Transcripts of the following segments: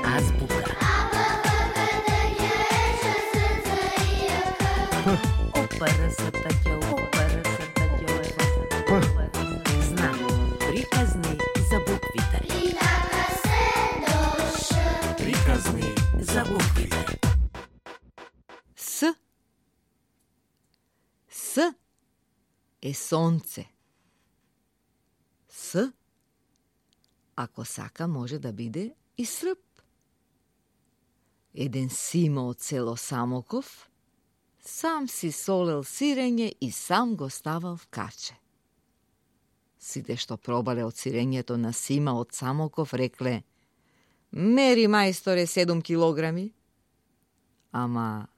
Азбука. Знам. Приказни за буквите. Приказни за буквите. С. С е сонце. С, ако сака, може да биде и срп. Еден Симо од село Самоков сам си солел сирење и сам го ставал в каче. Сите што пробале од сирењето на Сима од Самоков рекле: "Мери, мајсторе, 7 килограми." Ама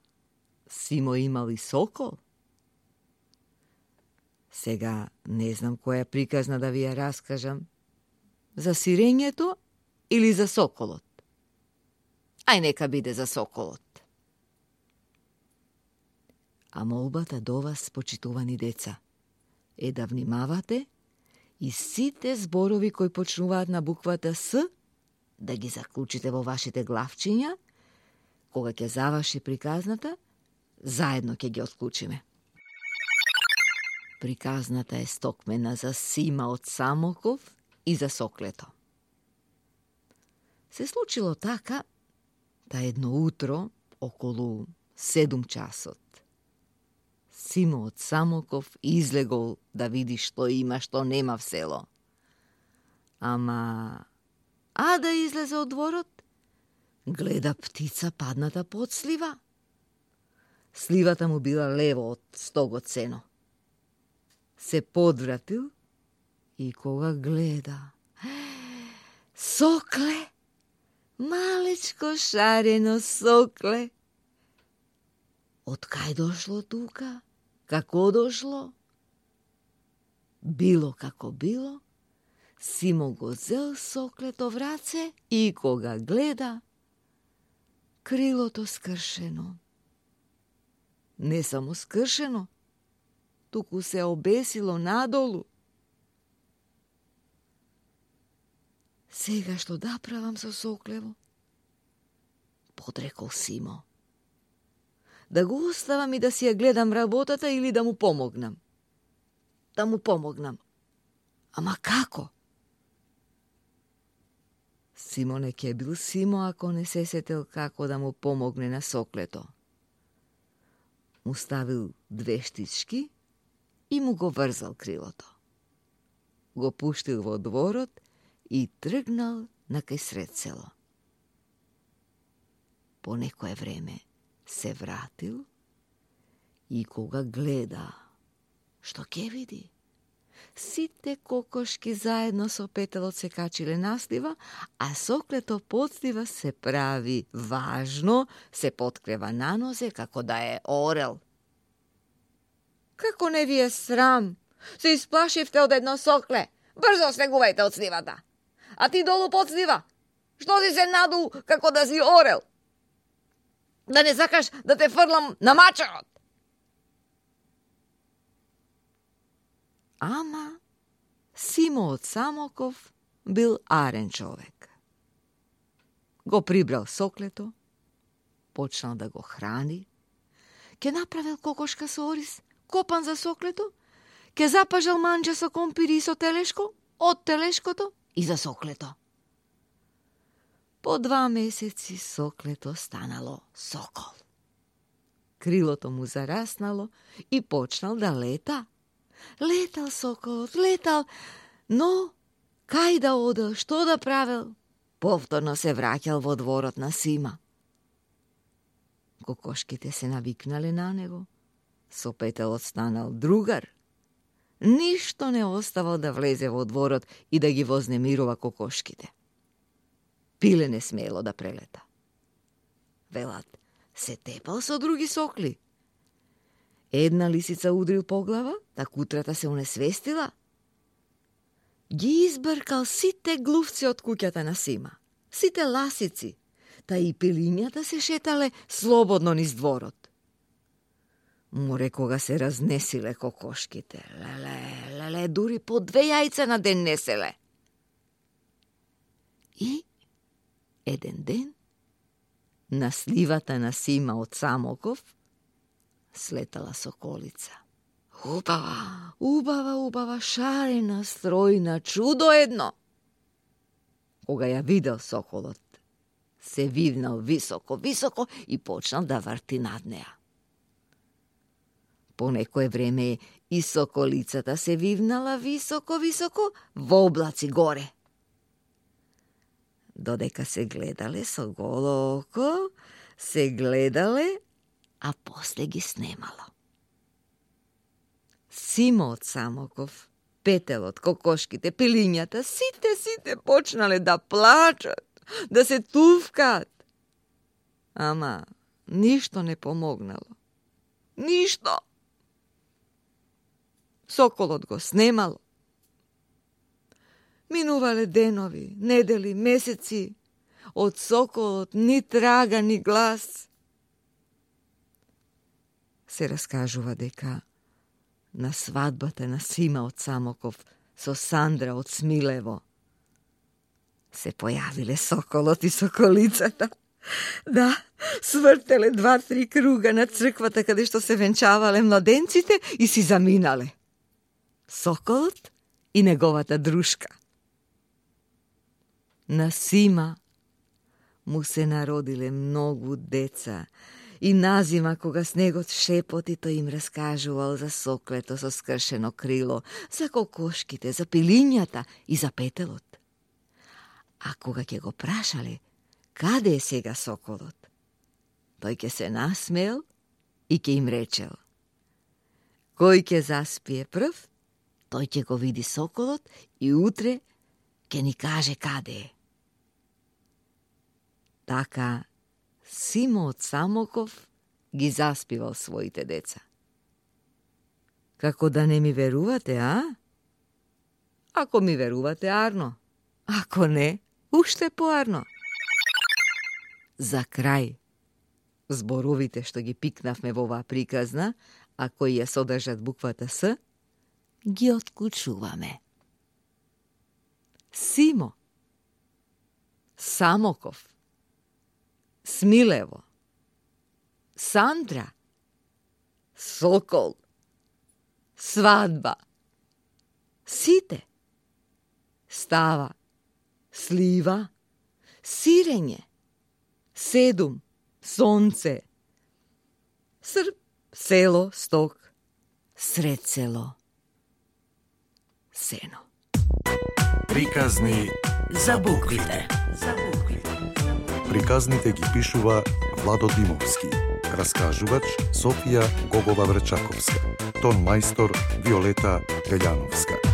Симо имал и сокол. Сега не знам која приказна да ви ја раскажам. За сирењето или за соколот? Ај нека биде за соколот. А молбата до вас, почитувани деца, е да внимавате и сите зборови кои почнуваат на буквата С да ги заклучите во вашите главчиња. Кога ќе заврши приказната, заедно ќе ги отклучиме. Приказната е стокмена за Сима од Самоков и за соклето. Се случило така, да едно утро, околу 7 часот, Симо од Самоков излегол да види што има, што нема в село. Ама, да излезе од дворот, гледа птица падната под слива. Сливата му била лево од стогот сено. Се подвратил и кога гледа, сокле, малечко шарено сокле. Од кај дошло тука? Како дошло? Било како било, Симо го зел соклето в раце и кога гледа, крилото скршено. Не само скршено, туку се обесило надолу. Сега што да правам со соклево? Подрекол Симо. Да го оставам и да си ја гледам работата или да му помогнам? Да му помогнам. Ама како? Симо не ке бил Симо ако не се сетел како да му помогне на соклето. Му ставил 2 штички и му го врзал крилото. Го пуштил во дворот и тргнал на кај сред село. По некое време се вратил и кога гледа, што ќе види? Сите кокошки заедно со петелот се качиле на слива, а соклето под слива се прави важно, се подкрева на нозе како да е орел. Како не ви е срам? Се исплашивте од едно сокле. Брзо слегувајте од сливата. А ти долу под слива. Што си се надул како да си орел? Да не сакаш да те фрлам на мачарот? Ама Симо од Самоков бил арен човек. Го прибрал соклето, почнал да го храни, ке направил кокошка со ориз, копан за соклето, ке запажал манџа со компири и со телешко, од телешкото и за соклето. По 2 месеци соклето станало сокол. Крилото му зараснало и почнал да лета. Летал соколот, летал, но кај да одел, што да правил? Повторно се враќал во дворот на Сима. Кокошките се навикнале на него. Со петелот станал другар. Ништо не оставал да влезе во дворот и да ги вознемирува кокошките. Пиле не смело да прелета. Велат, се тепал со други сокли. Една лисица удрил по глава, та кутрата се унесвестила. Ги избркал сите глувци од куќата на Сима, сите ласици, та и пилињата се шетале слободно низ дворот. Море кога се разнесиле кокошките. Леле, дури по 2 јајца на ден неселе. И еден ден на сливата на Сима од Самоков слетала соколица. Убава, шарена, стројна, чудо едно. Кога ја видел соколот, се вивнал високо и почнал да врти над неа. По некое време и соколицата се вивнала високо во облаци горе. Додека се гледале со голо око, а после ги снемало. Симо од Самоков, Петелот, кокошките, пилињата, сите почнале да плачат, да се тувкат. Ама ништо не помогнало. Ништо. Соколот го снемало. Минувале денови, недели, месеци, од соколот ни трага, ни глас. Се раскажува дека на свадбата на Сима од Самоков со Сандра од Смилево се појавиле соколот и соколицата. Да, свртеле 2-3 круга на црквата каде што се венчавале младенците и си заминале. Соколот и неговата дружка. На Сима му се народиле многу деца и назима кога снегот шепоти, тој им раскажувал за соклето со скршено крило, за кокошките, за пилињата и за Петелот. А кога ќе го прашале каде е сега соколот, тој ќе се насмеел и ќе им речел: кој ќе заспие прв, тој ќе го види соколот и утре ќе ни каже каде е. Така Симо од Самоков ги заспивал своите деца. Како да не ми верувате, а? Ако ми верувате, арно. Ако не, уште поарно. За крај, зборовите што ги пикнавме во оваа приказна, а кои ја содржат буквата С, ги откучуваме. Симо, Самоков, Смилево, Сандра, сокол, свадба, сите, става, слива, сирење, седум, сонце, срп, село, сток, сред село, сено. Приказни за буквите. Приказните ги пишува Владо Димовски. Раскажувач Софија Гогова Врчаковска. Тон мајстор Виолета Велјановска.